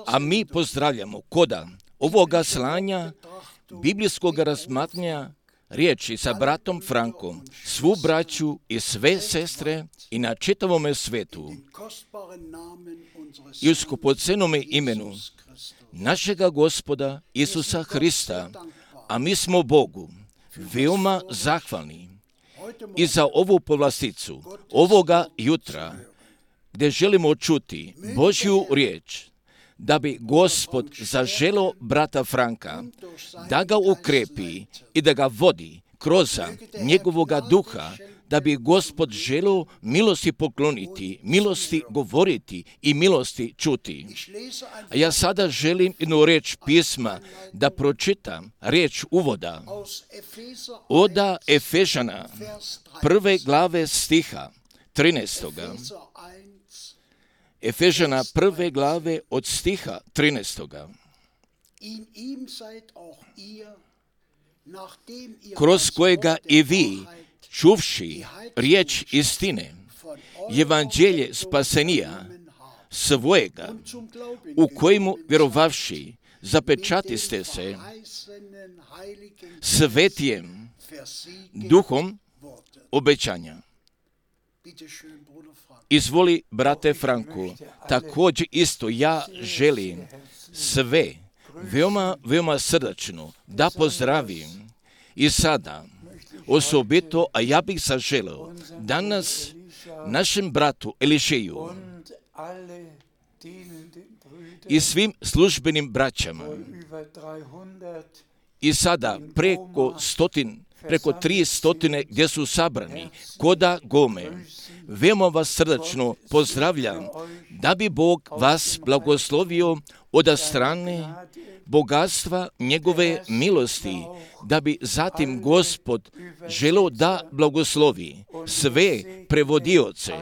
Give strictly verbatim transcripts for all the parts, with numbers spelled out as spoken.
A mi pozdravljamo koda ovoga slanja biblijskog razmatranja riječi sa bratom Frankom, svu braću i sve sestre i na čitavome svetu i u skupocenome imenu našega Gospoda Isusa Hrista, a mi smo Bogu veoma zahvalni i za ovu povlasticu ovoga jutra, gdje želimo čuti Božju riječ, da bi Gospod zaželio brata Franka, da ga ukrepi i da ga vodi kroz njegovoga duha, da bi Gospod želio milosti pokloniti, milosti govoriti i milosti čuti. A ja sada želim jednu riječ pisma da pročitam, riječ uvoda od Efežana prve glave stiha trinaestoga. Efežana prve glave od stiha trinaestoga. Kroz kojega i vi, čuvši riječ istine, evanđelje spasenija svojega, u kojemu vjerovavši zapečatiste se svetijem duhom obećanja. Izvoli, brate Franku, također isto ja želim sve veoma, veoma srdačno da pozdravim i sada osobito, a ja bih zaželio danas našem bratu Elišeju i svim službenim braćama i sada preko stotin preko tri stotine gdje su sabrani koda Gome. Veoma vas srdačno pozdravljam, da bi Bog vas blagoslovio od strane bogatstva njegove milosti, da bi zatim Gospod želio da blagoslovi sve prevodioce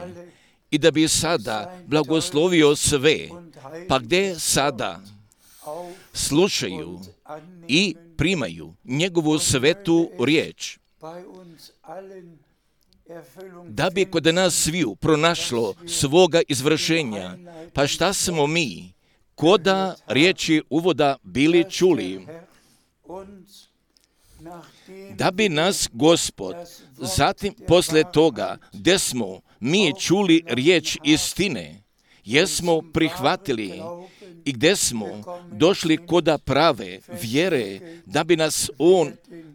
i da bi sada blagoslovio sve, pa gdje sada slušaju i primaju njegovu svetu riječ, da bi kod nas sviju pronašlo svoga izvršenja. Pa šta smo mi koda riječi uvoda bili čuli? Da bi nas Gospod zatim posle toga gdje smo mi čuli riječ istine, jesmo prihvatili i gdje smo došli koda prave vjere, da bi nas On,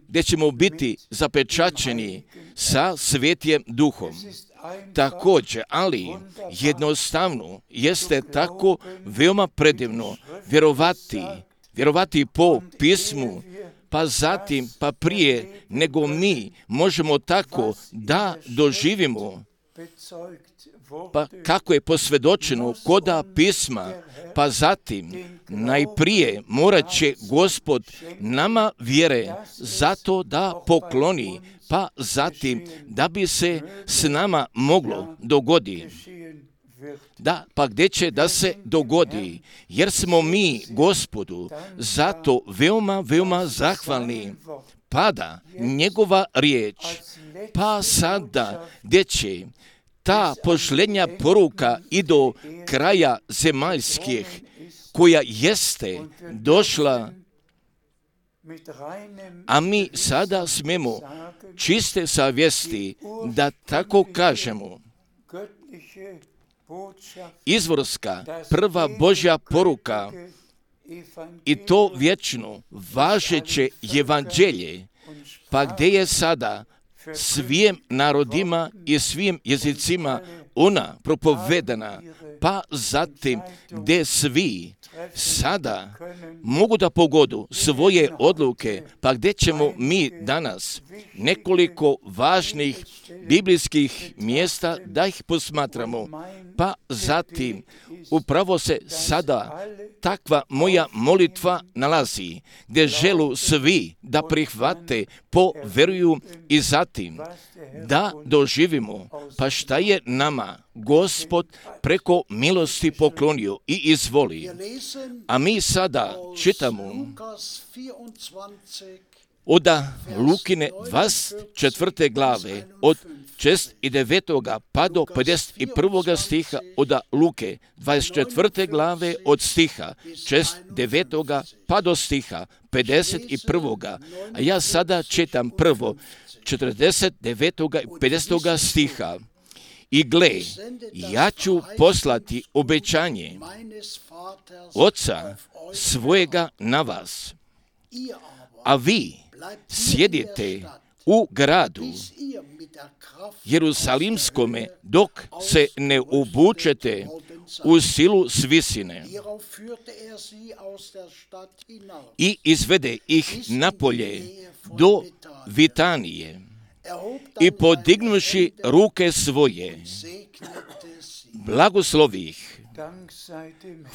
gdje ćemo biti zapečaćeni sa svetijem duhom. Također, ali jednostavno jeste tako veoma predivno vjerovati, vjerovati po pismu, pa zatim, pa prije nego mi možemo tako da doživimo, pa kako je posvjedočeno koda pisma, pa zatim najprije morat će Gospod nama vjere zato da pokloni, pa zatim da bi se s nama moglo dogoditi. Da, pa gdje će da se dogodi, jer smo mi Gospodu zato veoma, veoma zahvalni. Pada njegova riječ, pa sada gdje će ta posljednja poruka i do kraja zemaljskih, koja jeste došla, a mi sada smemo čiste savjesti da tako kažemo. Izvorska prva Božja poruka i to vječno važeće evanđelje, pa gdje je sada svim narodima i svim jezicima ona propovedana, pa zatim gdje svi sada mogu da pogodu svoje odluke, pa gdje ćemo mi danas nekoliko važnih biblijskih mjesta da ih posmatramo, pa zatim upravo se sada takva moja molitva nalazi, gdje želu svi da prihvate, poveruju i zatim da doživimo, pa šta je nama Gospod preko milosti poklonio i izvoli. A mi sada čitamo od Lukine dvadeset četvrte glave, od šest i devetoga pa do pedeset prvoga stiha od Luke, dvadeset četvrte glave od stiha šest devetoga pa do stiha pedeset prvoga. A ja sada čitam prvo četrdeset devetoga i pedesetoga stiha. I gle, ja ću poslati obećanje Oca svojega na vas, a vi sjedite u gradu Jerusalimskome dok se ne obučete u silu s visine. I izvede ih napolje do Vitanije i podignuši ruke svoje, blagoslovi ih.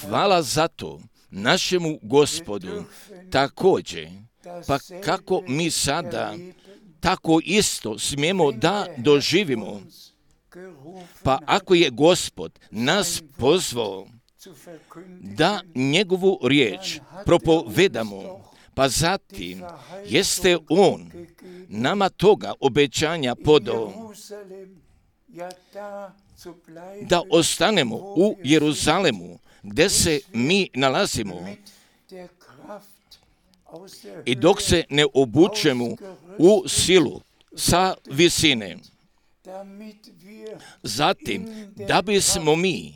Hvala za to našemu Gospodu. Također, pa kako mi sada tako isto smijemo da doživimo, pa ako je Gospod nas pozvao da njegovu riječ propovedamo, pa zatim jeste On nama toga obećanja podao da ostanemo u Jeruzalemu, gdje se mi nalazimo, i dok se ne obučemo u silu sa visine. Zatim, da bismo mi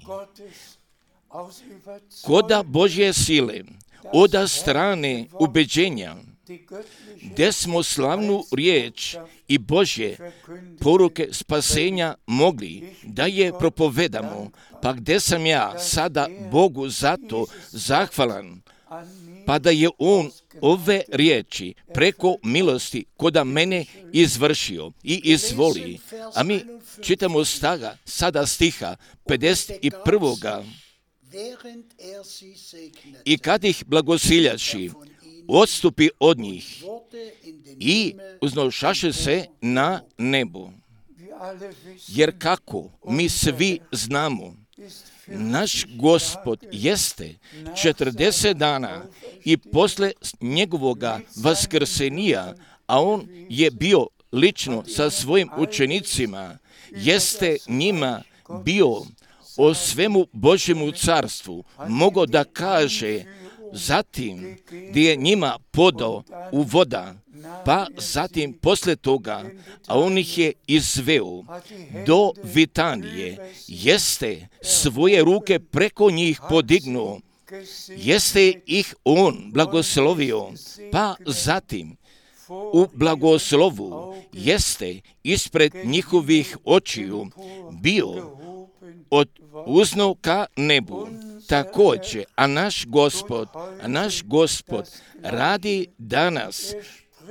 koda Božje sile, od strane ubeđenja, gdje smo slavnu riječ i Božje poruke spasenja mogli da je propovedamo, pa gdje sam ja sada Bogu za to zahvalan, pa da je On ove riječi preko milosti koda mene izvršio i izvoli. A mi čitamo staga, sada stiha pedeset prvoga. I kad ih blagosiljaši, odstupi od njih i uznošaše se na nebo. Jer kako mi svi znamo, naš Gospod jeste četrdeset dana i posle njegovoga vaskrsenija, a on je bio lično sa svojim učenicima, jeste njima bio o svemu Božjemu carstvu, mogo da kaže, zatim gdje je njima podao u voda, pa zatim posle toga, a on ih je izveo do Vitanije, jeste svoje ruke preko njih podignuo, jeste ih on blagoslovio, pa zatim u blagoslovu jeste ispred njihovih očiju bio od uzno ka nebu. Također, a naš Gospod, a naš Gospod radi danas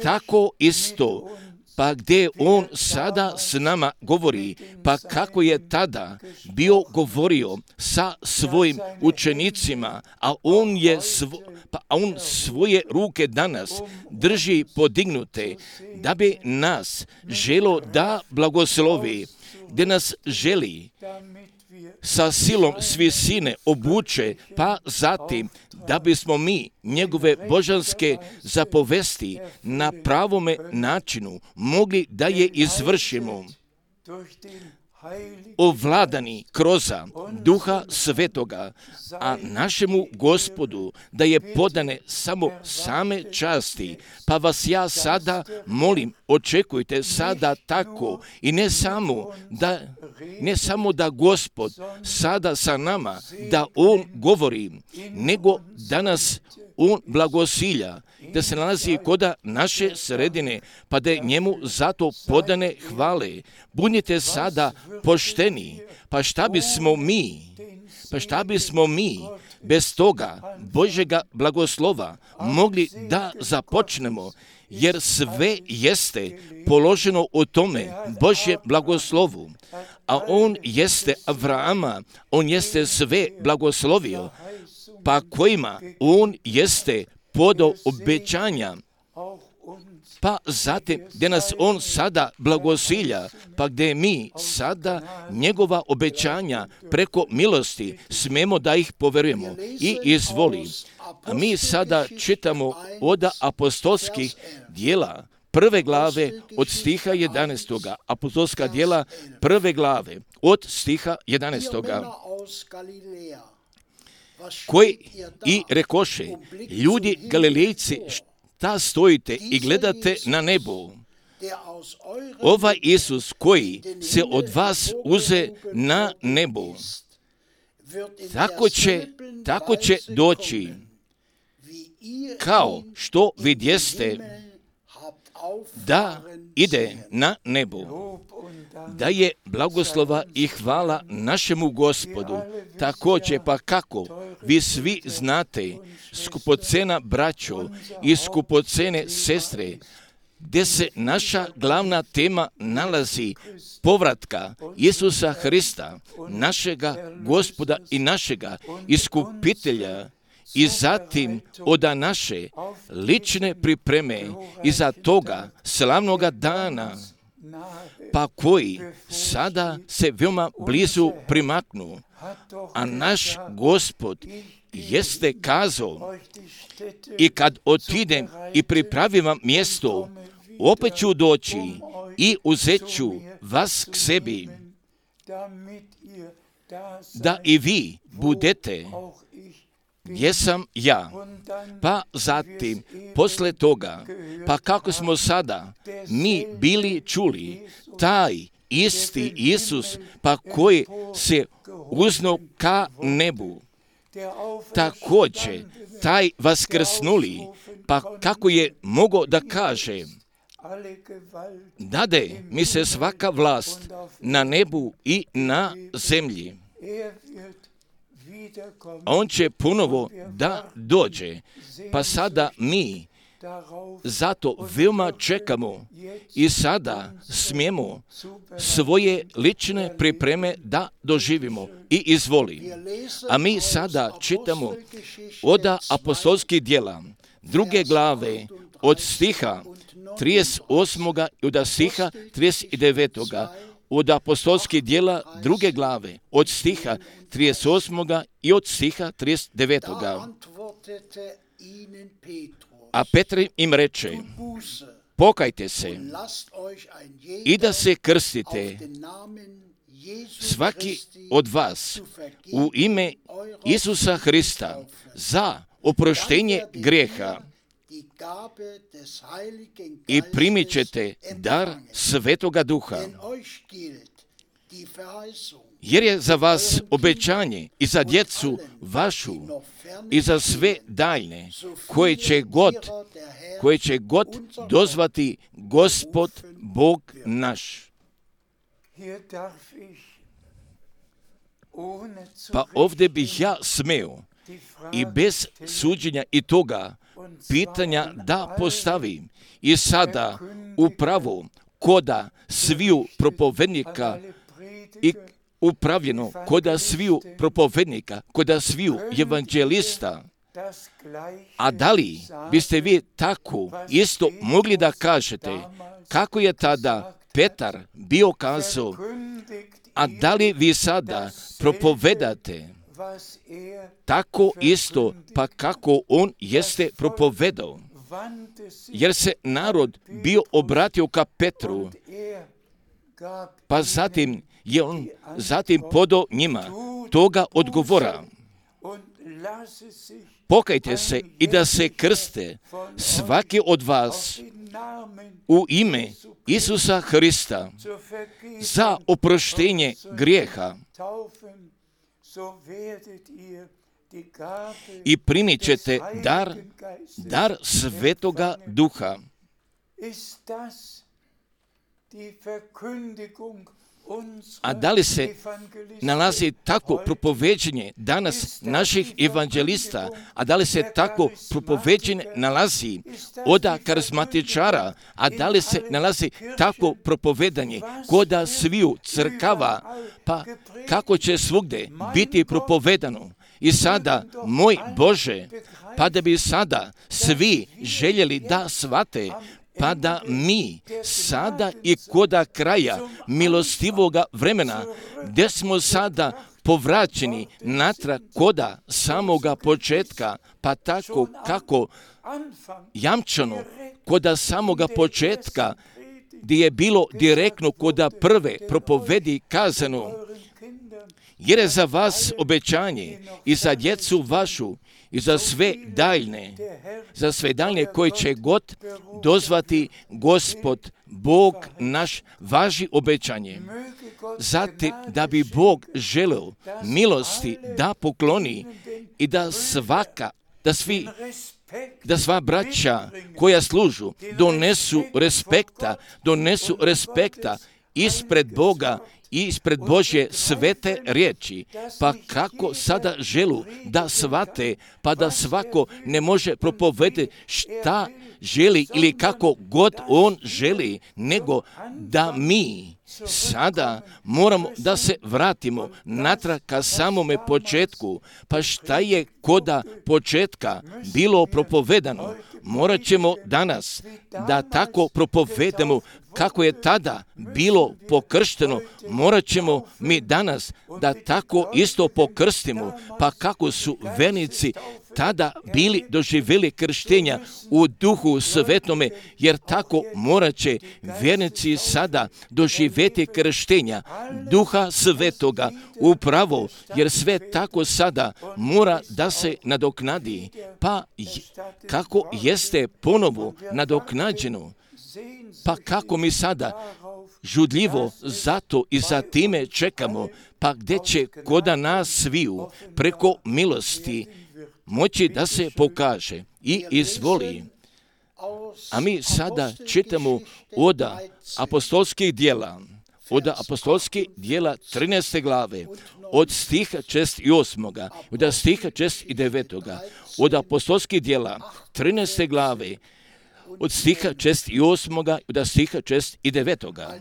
tako isto, pa gdje On sada s nama govori, pa kako je tada bio govorio sa svojim učenicima, a On je svo, pa on svoje ruke danas drži podignute, da bi nas želo da blagoslovi, gdje nas želi sa silom s visine obuče, pa zatim da bismo mi njegove božanske zapovesti na pravome načinu mogli da je izvršimo, ovladani kroz Duha Svetoga, a našemu Gospodu da je podane samo same časti. Pa vas ja sada molim, očekujte sada tako i ne samo da, ne samo da Gospod sada sa nama, da On govori, nego da nas On blagosilja, da se nalazi koda naše sredine, pa da je njemu zato podane hvale. Budite sada pošteni, pa šta bismo mi, pa šta bismo mi bez toga Božjega blagoslova mogli da započnemo, jer sve jeste položeno u tome Božje blagoslovu. A on jeste Avrama, on jeste sve blagoslovio, pa kojima on jeste podao obećanja pa zatim gdje nas On sada blagosilja, pa gdje mi sada njegova obećanja preko milosti smemo da ih poverujemo i izvoli. A mi sada čitamo od apostolskih dijela prve glave od stiha jedanaestoga. Apostolska djela prve glave od stiha jedanaestoga. Koji i rekoše, ljudi Galilejci, šta stojite i gledate na nebo? Ovaj Isus koji se od vas uze na nebo, tako će, tako će doći, kao što vidjeste da ide na nebo. Da je blagoslova i hvala našemu Gospodu. Također, pa kako vi svi znate, skupocena braćo i skupocene sestre, gdje se naša glavna tema nalazi povratka Isusa Hrista, našega Gospoda i našega iskupitelja, i zatim od naše lične pripreme iza toga slavnoga dana, pa koji sada se veoma blizu primaknu. A naš Gospod jeste kazao, i kad otidem i pripravim vam mjesto, opet ću doći i uzet ću vas k sebi, da i vi budete gdje sam ja. Pa zatim, posle toga, pa kako smo sada mi bili čuli, taj isti Isus, pa koji se uzno ka nebu, također taj vaskrsnuli, pa kako je mogao da kaže, dade mi se svaka vlast na nebu i na zemlji. On će ponovo da dođe, pa sada mi zato veoma čekamo i sada smijemo svoje lične pripreme da doživimo i izvoli. A mi sada čitamo od apostolskih djela druge glave od stiha trideset osmoga i od stiha trideset devetoga. Od apostolskih djela druge glave od stiha trideset osmoga i od stiha trideset devetoga. A Petar im reče, pokajte se i da se krstite svaki od vas u ime Isusa Hrista za oproštenje grijeha i primit ćete dar Svetoga Duha. Jer je za vas obećanje i za djecu vašu i za sve daljne koje će god, koje će god dozvati Gospod Bog naš. Pa ovdje bih ja smeo i bez suđenja i toga pitanja da postavim i sada upravo koda sviju propovednika i upravljeno koda sviju propovednika, koda sviju evanđelista. A da li biste vi tako isto mogli da kažete kako je tada Petar bio kazao, a da li vi sada propovedate tako isto, pa kako on jeste propovedao? Jer se narod bio obratio ka Petru, pa zatim je on zatim podao njima toga odgovora. Pokajte se i da se krste svaki od vas u ime Isusa Hrista za oproštenje grijeha i primit ćete dar, dar Svetoga Duha. A da li se nalazi tako propoveđenje danas naših evanđelista, a da li se tako propoveđenje nalazi od karizmatičara, a da li se nalazi tako propovedanje koda sviju crkava, pa kako će svugde biti propovedano? I sada, moj Bože, pa da bi sada svi željeli da shvate, pa da mi sada i koda kraja milostivoga vremena, gdje smo sada povraćeni natrag koda samoga početka, pa tako kako jamčano koda samoga početka, gdje je bilo direktno koda prve propovedi kazano, jer je za vas obećanje i za djecu vašu i za sve daljne, za sve daljne koji će god dozvati Gospod, Bog naš, važi obećanje. Zatim da bi Bog želeo milosti da pokloni i da svaka, da svi, da sva braća koja služu donesu respekta, donesu respekta ispred Boga i ispred Božje svete riječi, pa kako sada želu da svate, pa da svako ne može propovedati šta želi ili kako god on želi, nego da mi sada moramo da se vratimo natrag ka samome početku. Pa šta je koda početka bilo propovedano, morat ćemo danas da tako propovedemo kako je tada bilo pokršteno, morat ćemo mi danas da tako isto pokrstimo, pa kako su vernici tada bili doživjeli krštenja u Duhu Svetome, jer tako morat će vernici sada doživjeti krštenja Duha Svetoga upravo, jer sve tako sada mora da se nadoknadi, pa kako jeste ponovo nadoknađeno, pa kako mi sada žudljivo zato i za time čekamo, pa gdje će koda nas sviju preko milosti moći da se pokaže i izvoli. A mi sada čitamo od apostolskih djela, od apostolskih djela trinaeste glave, od stiha šest i osmoga, od stiha šest i devetoga, od apostolskih djela trinaeste glave, od stiha šest i osmoga, od stiha šest i devetoga.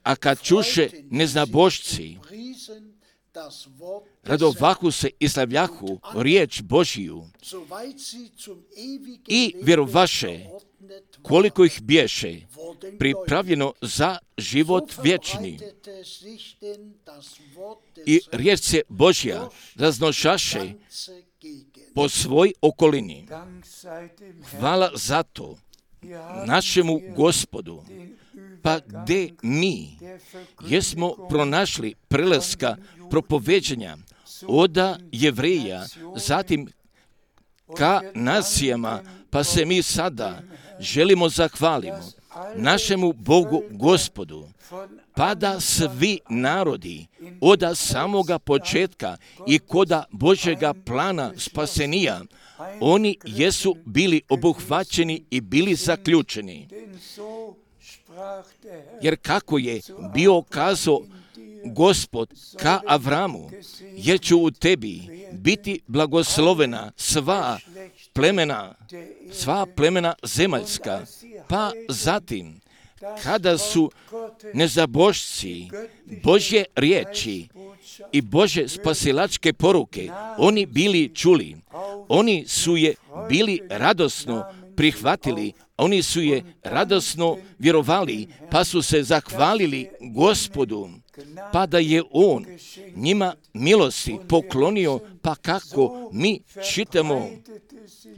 A kad čuše neznabošci, radovahu se i slavljahu riječ Božiju i vjerovaše, koliko ih bješe pripravljeno za život vječni. I riječ se Božja raznošaše po svoj okolini. Hvala za to našemu Gospodu. Pa gdje mi jesmo pronašli prelaska propoveđenja od Jevreja, zatim ka nacijama, pa se mi sada želimo zahvalimo našemu Bogu Gospodu, pa da svi narodi od samoga početka i koda Božjega plana spasenija, oni jesu bili obuhvaćeni i bili zaključeni. Jer kako je bio kazao Gospod ka Avramu, jer ću u tebi biti blagoslovena sva plemena, sva plemena zemaljska. Pa zatim, kada su nezabošci Božje riječi i Božje spasilačke poruke, oni bili čuli, oni su je bili radosno prihvatili, oni su je radosno vjerovali, pa su se zahvalili Gospodu, pa da je On njima milosti poklonio, pa kako mi čitamo,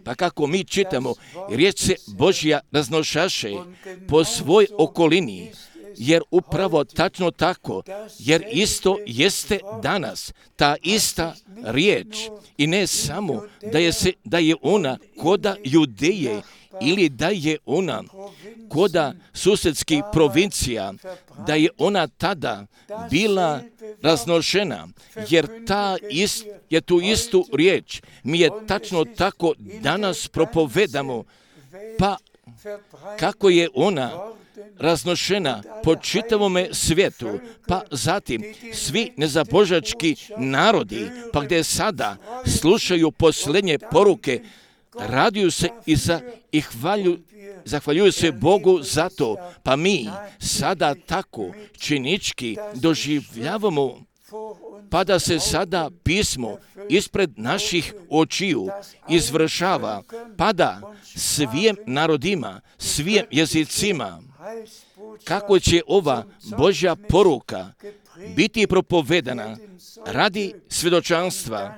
pa kako mi čitamo, riječ se Božja raznošaše po svoj okolini, jer upravo tačno tako, jer isto jeste danas ta ista riječ i ne samo da je, se, da je ona koda Judeje ili da je ona koda susjedskih provincija, da je ona tada bila raznošena, jer ta ist, je tu istu riječ mi je tačno tako danas propovedamo, pa kako je ona raznošena po čitavome svijetu, pa zatim svi nezabožački narodi, pa gdje sada slušaju posljednje poruke, raduju se i, za, i hvalju, zahvaljuju se Bogu za to, pa mi sada tako činički doživljavamo pa da se sada pismo ispred naših očiju izvršava, pa da svim narodima, svim jezicima, kako će ova Božja poruka biti propovedana radi svjedočanstva,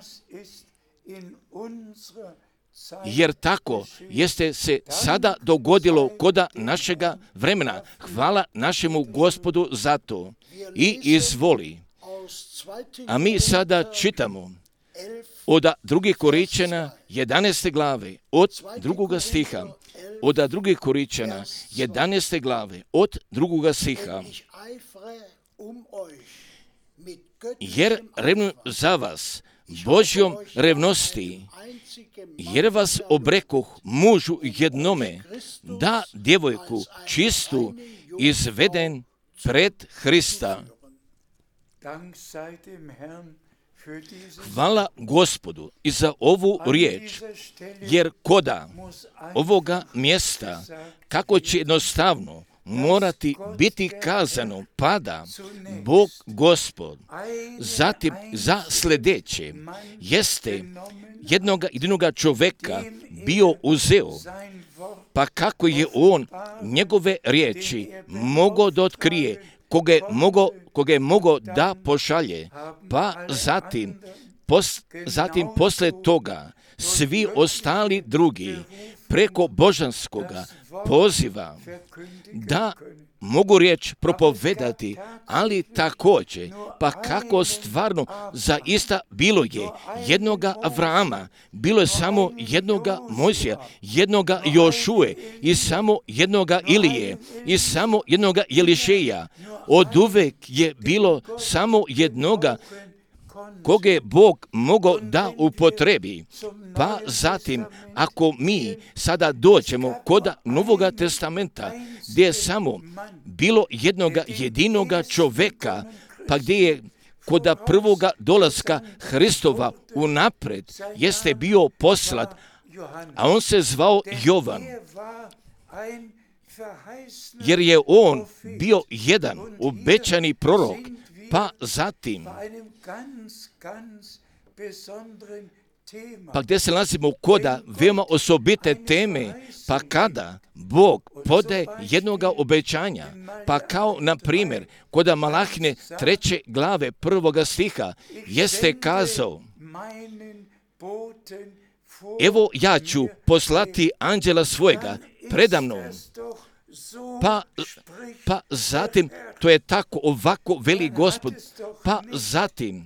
jer tako jeste se sada dogodilo koda našega vremena. Hvala našemu Gospodu za to. I izvoli. A mi sada čitamo od drugih Koričana jedanaeste glave, od drugoga stiha. Od drugih Koričana jedanaeste glave, od drugoga stiha. Jer revnu za vas Božjom revnosti, jer vas obrekoh mužu jednome, da djevojku čistu izveden pred Hrista. Hvala Gospodu i za ovu riječ, jer koda ovoga mjesta, kako će jednostavno morati biti kazano, pada Bog Gospod, zatim za sljedeće, jeste jednoga jedinoga čovjeka bio uzeo, pa kako je on njegove riječi mogao da otkrije, koga je mogao, koga je mogao da pošalje, pa zatim, pos, zatim posle toga svi ostali drugi preko božanskoga poziva da mogu riječ propovedati, ali također, pa kako stvarno zaista bilo je jednoga Avrama, bilo je samo jednoga Mojsija, jednoga Jošue i samo jednoga Ilije i samo jednoga Jelišeja. Od uvek je bilo samo jednoga koga je Bog mogao da upotrebi. Pa zatim, ako mi sada dođemo kod Novoga testamenta, gdje je samo bilo jednoga jedinoga čovjeka, pa gdje je kod prvoga dolaska Hristova unapred jeste bio poslat, a on se zvao Jovan, jer je on bio jedan obećani prorok. Pa zatim, pa gdje se nalazimo koda veoma osobite teme, pa kada Bog podaje jednoga obećanja, pa kao na primjer koda Malahine treće glave prvoga stiha jeste kazao: evo ja ću poslati anđela svojega predamnom. Pa, pa zatim, to je tako ovako veli Gospod, pa zatim,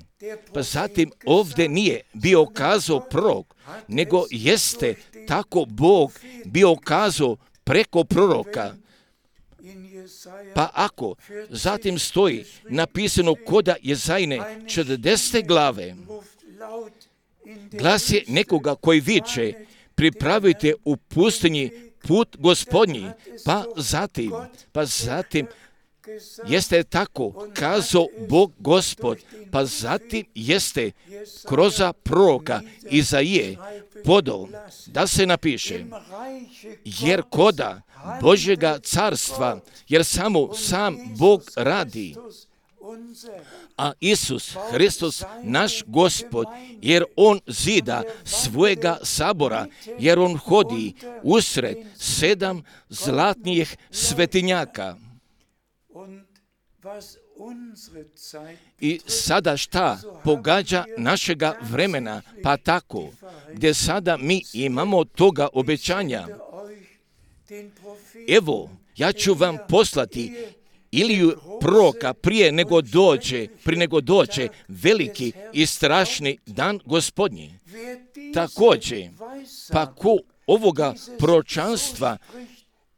pa zatim ovdje nije bio kazao prorok, nego jeste tako Bog bio kazao preko proroka. Pa ako zatim stoji napisano koda Jezajine četrdesete glave, glas je nekoga koji viče: pripravite u pustinji put Gospodnji, pa zatim, pa zatim jeste tako kazao Bog Gospod, pa zatim jeste kroz proroka Izaije podao da se napiše: jer koda Božjega carstva, jer samo sam Bog radi, a Isus Hristos naš Gospod, jer on zida svojega sabora, jer on hodi usred sedam zlatnijih svetinjaka. I sada šta pogađa našega vremena, pa tako, gdje sada mi imamo toga obećanja. Evo, ja ću vam poslati Iliju proroka prije nego dođe, prije nego dođe veliki i strašni dan Gospodnji. Također, pa ko ovoga proročanstva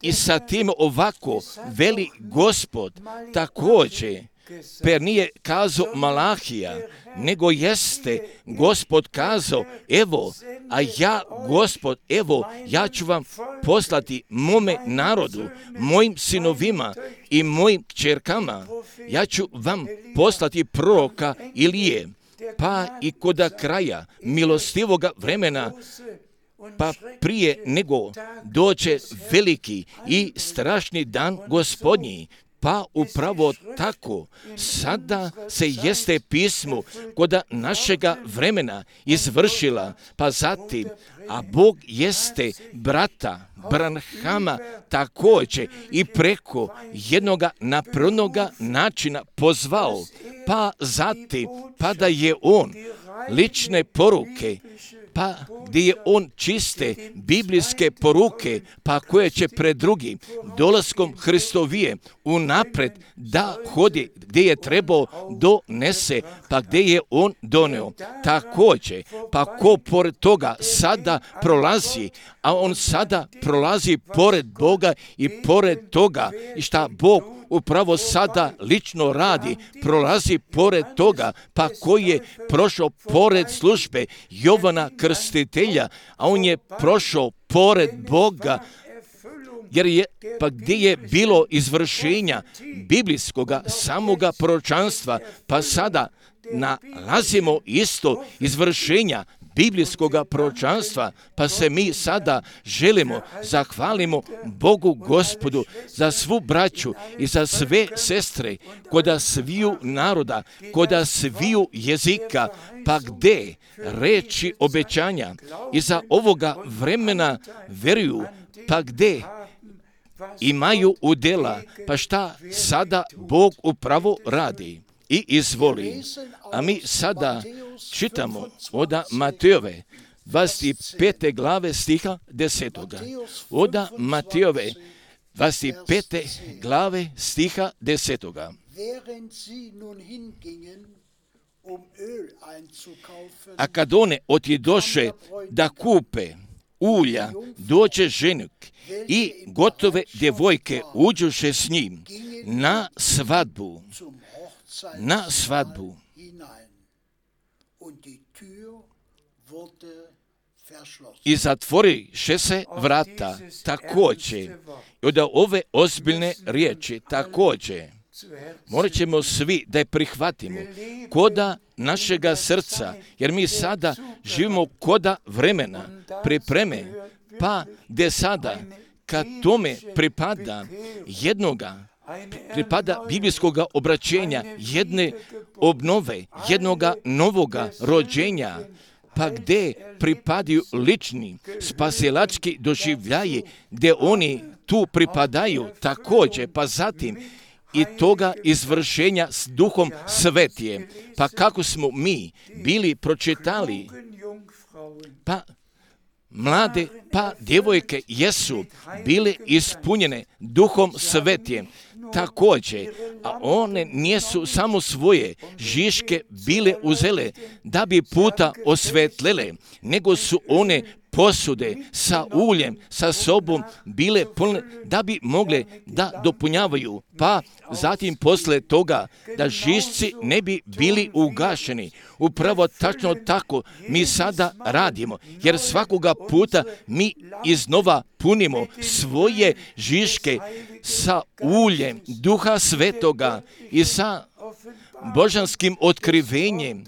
i sa tim ovako veli Gospod, također, per nije kazao Malahija, nego jeste Gospod kazao: evo, a ja, Gospod, evo, ja ću vam poslati mome narodu, mojim sinovima i mojim kćerkama, ja ću vam poslati proroka Ilije, pa i koda kraja milostivoga vremena, pa prije nego dođe veliki i strašni dan Gospodnji, Pa upravo tako, sada se jeste pismo kod našega vremena izvršila, pa zatim, a Bog jeste brata Branhama također i preko jednoga napravnoga načina pozvao, pa zatim, pa da je on lične poruke, pa gdje je on čiste biblijske poruke, pa koje će pred drugim dolaskom Hristovije unapred da hodi gdje je trebao donese, pa gdje je on doneo. Također, pa ko pored toga sada prolazi, a on sada prolazi pored Boga i pored toga i šta Bog upravo sada lično radi, prolazi pored toga, pa koji je prošao pored službe Jovana Krstitelja, a on je prošao pored Boga, jer je, pa gdje je bilo izvršenja biblijskoga samoga proročanstva, pa sada nalazimo isto izvršenja biblijskoga proročanstva, pa se mi sada želimo, zahvalimo Bogu Gospodu za svu braću i za sve sestre, koda sviju naroda, koda sviju jezika, pa gdje reči obećanja iza ovoga vremena veruju, pa gdje imaju udjela, pa šta sada Bog upravo radi i izvoli. A mi sada čitamo od Matejove dvadeset pete glave stiha desetoga. Od Matejove dvadeset pete glave stiha desetoga. A kad one otjedoše da kupe ulja, dođe ženik i gotove djevojke uđoše s njim na svadbu. Na svadbu. I zatvoriše se vrata također. I od ove ozbiljne riječi također. Morat ćemo svi da je prihvatimo koda našega srca, jer mi sada živimo koda vremena, pripreme, pa gdje sada, kad tome pripada jednoga, pripada biblijskog obraćenja, jedne obnove, jednoga novoga rođenja, pa gdje pripadaju lični spasilački doživljaji, gdje oni tu pripadaju također, pa zatim i toga izvršenja s Duhom Svetije. Pa kako smo mi bili pročitali, pa mlade, pa djevojke jesu bile ispunjene Duhom Svetijem također, a one nisu samo svoje žiške bile uzele da bi puta osvetlele, nego su one posude sa uljem, sa sobom bile pune da bi mogle da dopunjavaju, pa zatim posle toga da žišci ne bi bili ugašeni. Upravo tačno tako mi sada radimo, jer svakoga puta mi iznova punimo svoje žiške sa uljem Duha Svetoga i sa božanskim otkrivenjem,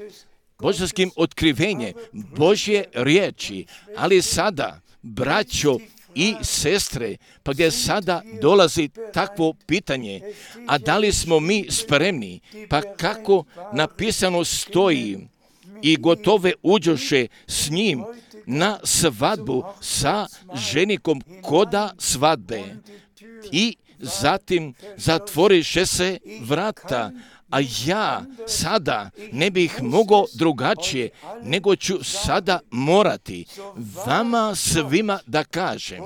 božanskim otkrivenjem Božje riječi, ali sada, braćo i sestre, pa gdje sada dolazi takvo pitanje, a da li smo mi spremni, pa kako napisano stoji, i gotove uđoše s njim na svadbu sa ženikom koda svadbe. I zatim zatvoriše se vrata, a ja sada ne bih mogao drugačije, nego ću sada morati vama svima da kažem,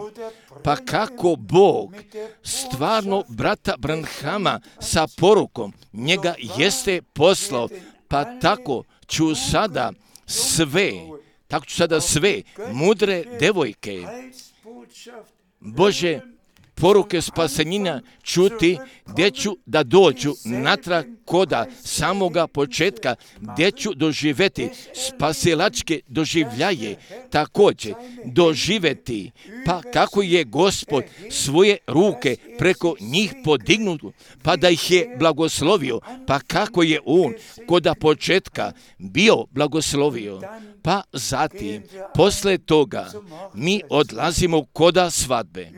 pa kako Bog stvarno brata Branhama sa porukom njega jeste poslao, pa tako ću sada sve, tako ću sada sve mudre devojke Bože poruke spasenja čuti, gdje ću da dođu natrag koda samoga početka, gdje ću doživjeti spasilačke doživljaje, također doživjeti, pa kako je Gospod svoje ruke preko njih podignuo, pa da ih je blagoslovio, pa kako je on koda početka bio blagoslovio, pa zatim, posle toga, mi odlazimo koda svadbe.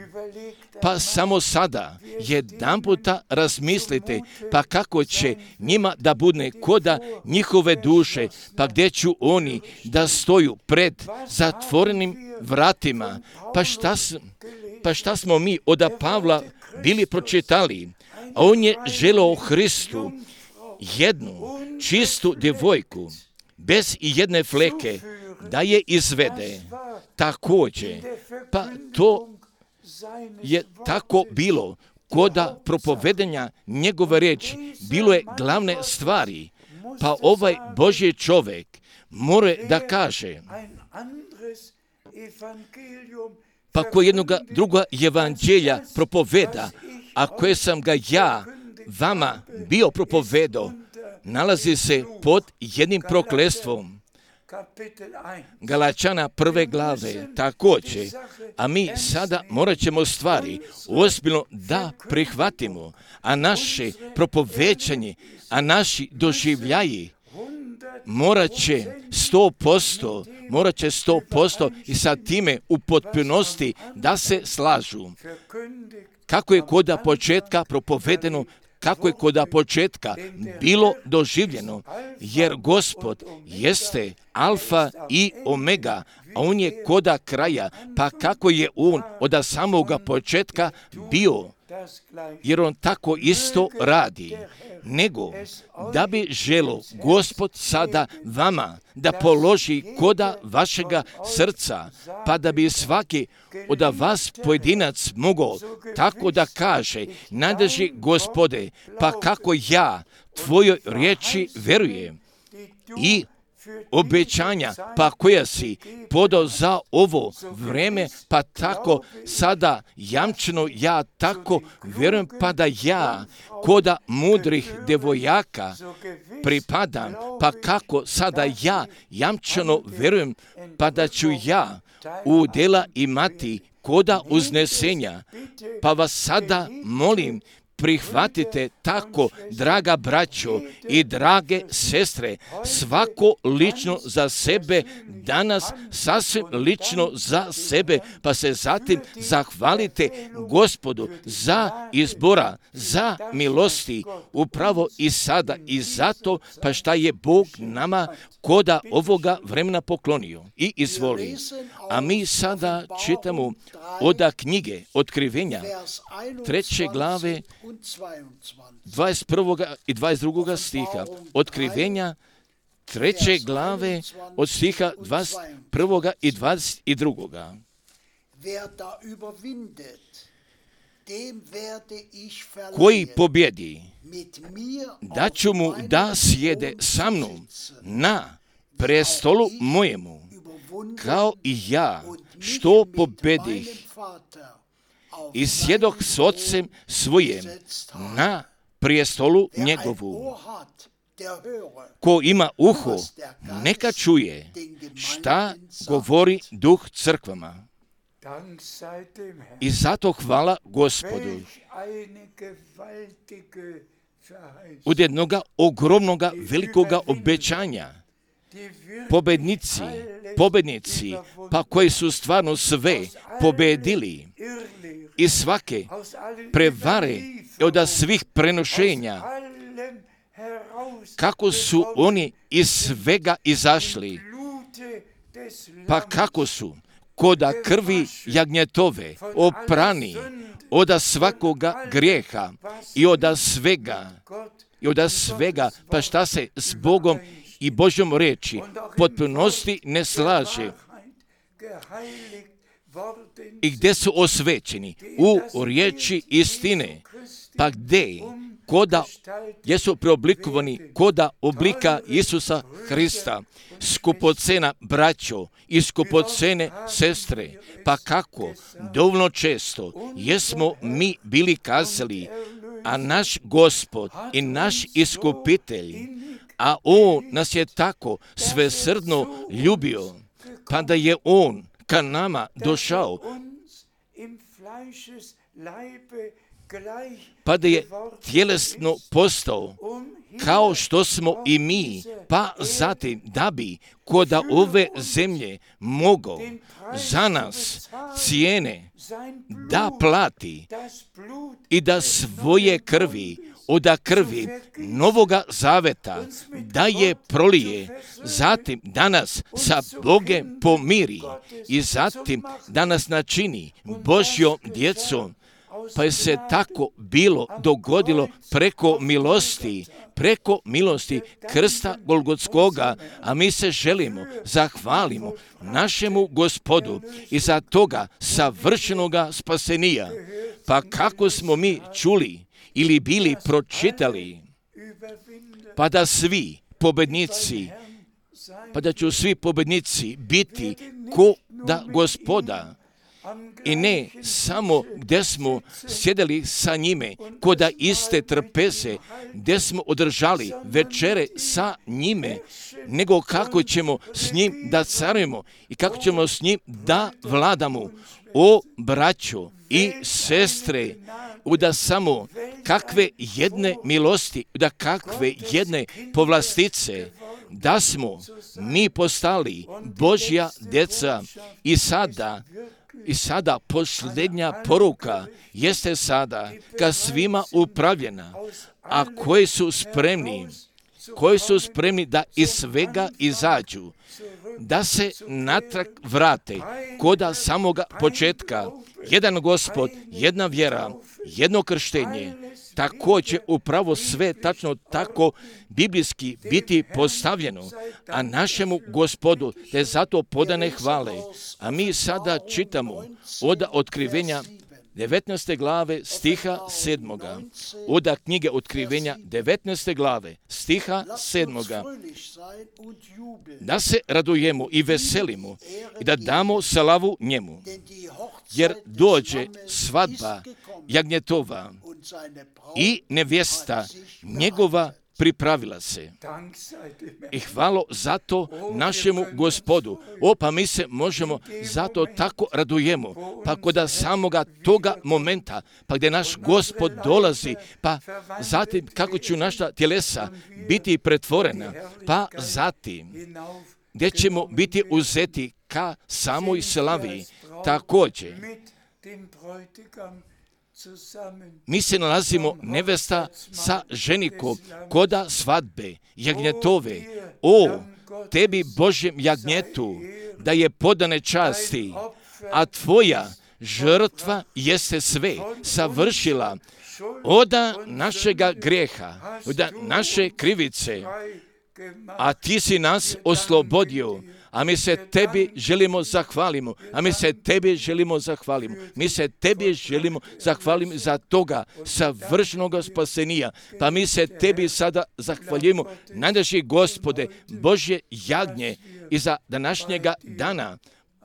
Pa Pa samo sada jedanputa razmislite, pa kako će njima da bude koda njihove duše, pa gdje ću oni da stoju pred zatvorenim vratima. Pa šta, pa šta smo mi od Pavla bili pročitali? A on je želeo Hristu jednu čistu djevojku, bez i jedne fleke, da je izvede. Također, pa to je tako bilo koda propovedanja njegove riječi, bilo je glavne stvari. Pa ovaj Božji čovjek mora da kaže, pa ko jednoga druga evanđelja propoveda, a koje sam ga ja vama bio propovedao, nalazi se pod jednim prokletstvom. Galačana prve glave također, a mi sada morat ćemo stvari ozbiljno da prihvatimo, a naše propovećanje, a naši doživljaji morat će sto posto, morat će sto posto i sa time u potpunosti da se slažu. Kako je koda početka propovedeno, kako je koda početka bilo doživljeno, jer Gospod jeste alfa i omega, a on je koda kraja, pa kako je on od samoga početka bio, jer on tako isto radi, nego da bi želo Gospod sada vama da položi koda vašega srca, pa da bi svaki od vas pojedinac mogao tako da kaže, nadrži Gospode, pa kako ja tvojoj riječi verujem i obećanja, pa koja si podao za ovo vreme, pa tako sada jamčeno ja tako vjerujem, pa da ja koda mudrih devojaka pripadam, pa kako sada ja jamčeno vjerujem, pa da ću ja u djela imati koda uznesenja, pa vas sada molim, prihvatite tako, draga braćo i drage sestre, svako lično za sebe, danas sasvim lično za sebe, pa se zatim zahvalite Gospodu za izbora, za milosti, upravo i sada i zato, pa šta je Bog nama koda ovoga vremena poklonio. I izvoli. A mi sada čitamo od knjige Otkrivenja, treće glave, dvadeset prvog i dvadeset drugog stiha. Otkrivenja, treće glave, od stiha dvadeset prvog i dvadeset drugog. Koji pobjedi, da ću mu da sjede sa mnom na prestolu mojemu, kao i ja, što pobjedih i sjedoh s ocem svojem na prijestolu njegovu. Ko ima uho, neka čuje šta govori Duh crkvama. I zato hvala Gospodu. Od jednoga ogromnoga velikoga obećanja, pobednici, pobednici, pa koji su stvarno sve pobedili i svake prevare od svih prenošenja, kako su oni iz svega izašli, pa kako su koda krvi jagnjetove oprani od svakoga grijeha i od svega, i od svega, pa šta se s Bogom i Božjom reči potpunosti ne slaže i gdje su osvećeni u riječi istine, pa gdje koda jesu preoblikovani koda oblika Isusa Hrista, skupocena braćo i skupocene sestre, pa kako dovoljno često jesmo mi bili kazali, a naš Gospod i naš iskupitelj, a On nas je tako svesrdno ljubio, pa da je On ka nama došao, pa da je tjelesno postao, kao što smo i mi pa zatim da bi kod ove zemlje mogao za nas cijene da plati i da svoje krvi, od krvi Novoga Zaveta da je prolije, zatim danas sa Bogem pomiri i zatim danas načini Božjom djecom. Pa je se tako bilo dogodilo preko milosti, preko milosti krsta Golgotskoga, a mi se želimo, zahvalimo našemu Gospodu i za toga savršenoga spasenija. Pa kako smo mi čuli ili bili pročitali, pa da svi pobednici, pa da će svi pobednici biti ko da Gospoda, i ne samo gdje smo sjedeli sa njime, koda iste trpeze, gdje smo održali večere sa njime, nego kako ćemo s njim da carujemo i kako ćemo s njim da vladamo. O braćo i sestre, da samo kakve jedne milosti, da kakve jedne povlastice, da smo mi postali Božja djeca i sada, I sada posljednja poruka jeste sada ka svima upravljena, a koji su spremni, koji su spremni da iz svega izađu, da se natrag vrate koda samoga početka. Jedan Gospod, jedna vjera, jedno krštenje, tako će upravo sve tačno tako biblijski biti postavljeno, a našemu Gospodu te zato podane hvale. A mi sada čitamo od Otkrivenja devetnaeste glave stiha sedmoga. Od knjige Otkrivenja devetnaeste glave stiha sedmoga. Da se radujemo i veselimo i da damo slavu njemu, jer dođe svadba jagnjetova i nevjesta njegova pripravila se. I hvalo zato našemu Gospodu. O, pa mi se možemo zato tako radujemo. Pa kod samoga toga momenta, pa gdje naš Gospod dolazi, pa zatim kako će naša tjelesa biti pretvorena, pa zatim gdje ćemo biti uzeti ka samoj slavi. Također, mi se nalazimo nevesta sa ženikom koda svadbe, jagnjetove. O, tebi Božjem jagnjetu, da je podane časti, a tvoja žrtva jeste sve savršila od našega grijeha, od naše krivice, a ti si nas oslobodio. A mi se tebi želimo zahvalimo, a mi se tebi želimo zahvalimo, mi se tebi želimo zahvalimo za toga savršenog spasenija. Pa mi se tebi sada zahvaljujemo, najdraži Gospode, Božje jagnje, i za današnjega dana,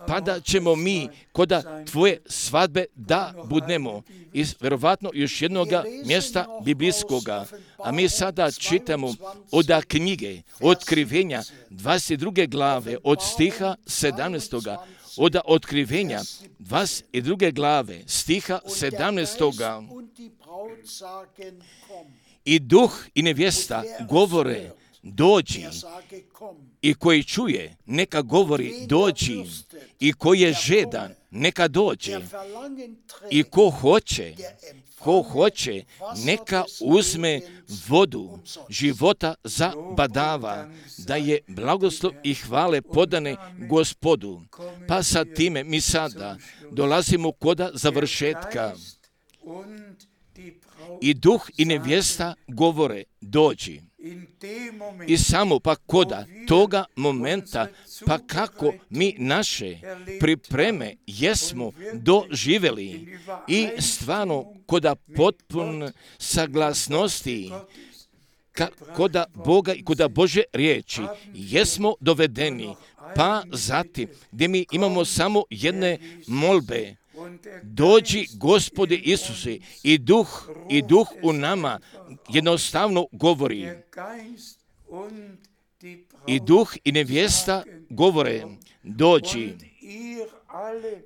pa da ćemo mi koda tvoje svadbe da budnemo iz vjerovatno još jednog mjesta biblijskoga. A mi sada čitamo od knjige Otkrivenja dvadeset druge glave od stiha sedamnaestoga. Od Otkrivenja dvadeset druge glave stiha sedamnaestoga. I duh i nevjesta govore, dođi, i koji čuje, neka govori, dođi, i koji je žedan, neka dođe, i ko hoće, ko hoće, neka uzme vodu života za badava, da je blagoslov i hvale podane Gospodu. Pa sa time mi sada dolazimo koda završetka. I duh i nevjesta govore, dođi. I samo pa koda toga momenta, pa kako mi naše pripreme jesmo doživjeli i stvarno koda potpun saglasnosti ka, koda Boga i koda Bože riječi jesmo dovedeni, pa zatim gdje mi imamo samo jedne molbe. Dođi Gospode Isuse, i duh i duh u nama jednostavno govori. I duh i nevjesta govore, dođi.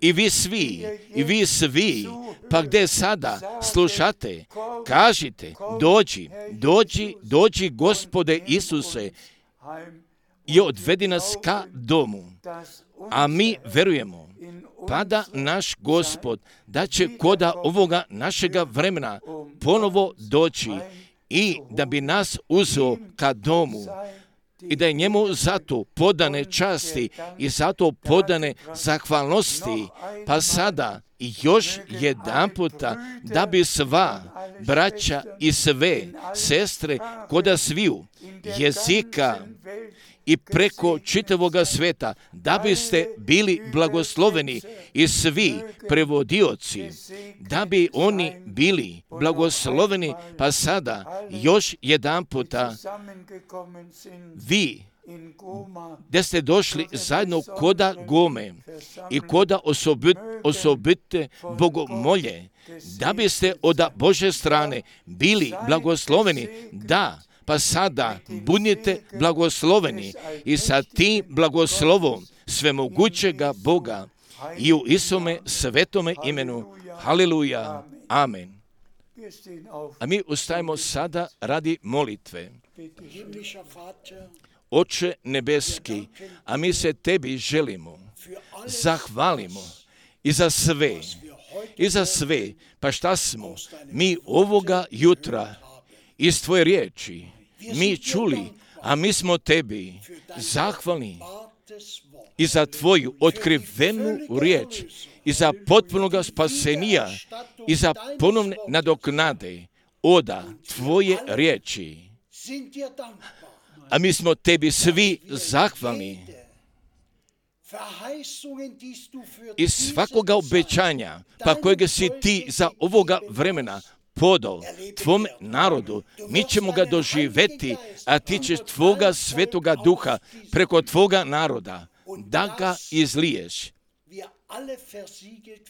I vi svi, i vi svi, pa gdje sada slušate, kažite, dođi, dođi, dođi Gospode Isuse, i odvedi nas ka domu, a mi verujemo, pa da naš Gospod, da će koda ovoga našega vremena ponovo doći i da bi nas uzeo ka domu i da je njemu zato podane časti i zato podane zahvalnosti, pa sada i još jedan puta da bi sva braća i sve sestre koda sviju jezika i preko čitavoga sveta, da biste bili blagosloveni i svi prevodioci, da bi oni bili blagosloveni, pa sada još jedan puta vi gdje ste došli zajedno koda Gome i koda osobit, osobite bogomolje, da biste od Bože strane bili blagosloveni, da, pa sada budite blagosloveni i sa tim blagoslovom svemogućega Boga i u Isome svetome imenu. Haleluja. Amen. A mi ustajemo sada radi molitve. Oče nebeski, a mi se tebi želimo, zahvalimo i za sve, i za sve, pa šta smo mi ovoga jutra iz tvoje riječi mi čuli, a mi smo tebi zahvalni i za tvoju otkrivenu riječ i za potpunoga spasenija i za ponovne nadoknade oda tvoje riječi. A mi smo tebi svi zahvalni i svakoga obećanja, pa kojega si ti za ovoga vremena podao tvom narodu, mi ćemo ga doživjeti, a ti ćeš tvoga svetoga duha preko tvoga naroda da ga izliješ,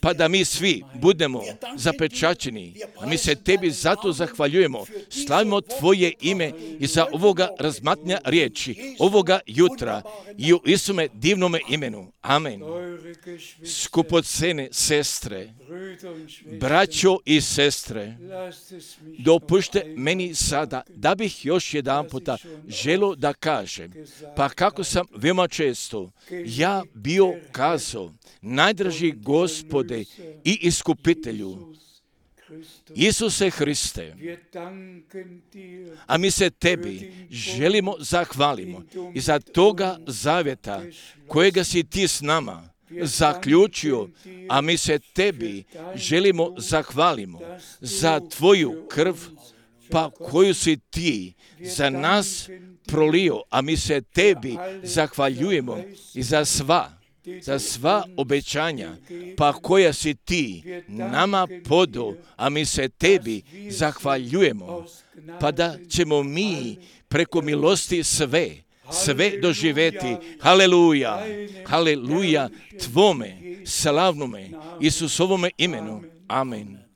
pa da mi svi budemo zapečaćeni. A mi se tebi zato zahvaljujemo, slavimo tvoje ime i za ovoga razmatnja riječi, ovoga jutra i u Isume divnome imenu. Amen. Skupocene sestre, braćo i sestre, dopušte meni sada da bih još jedan puta želio da kažem, pa kako sam veoma često ja bio kazao, najdraži Gospode i Iskupitelju, Isuse Hriste, a mi se tebi želimo zahvalimo i za toga zavjeta kojega si ti s nama zaključio, a mi se tebi želimo zahvalimo za tvoju krv, pa koju si ti za nas prolio, a mi se tebi zahvaljujemo i za sva za sva obećanja, pa koja si ti nama podao, a mi se tebi zahvaljujemo, pa da ćemo mi preko milosti sve, sve doživjeti. Haleluja, haleluja, tvome slavnome Isusovome imenu. Amen.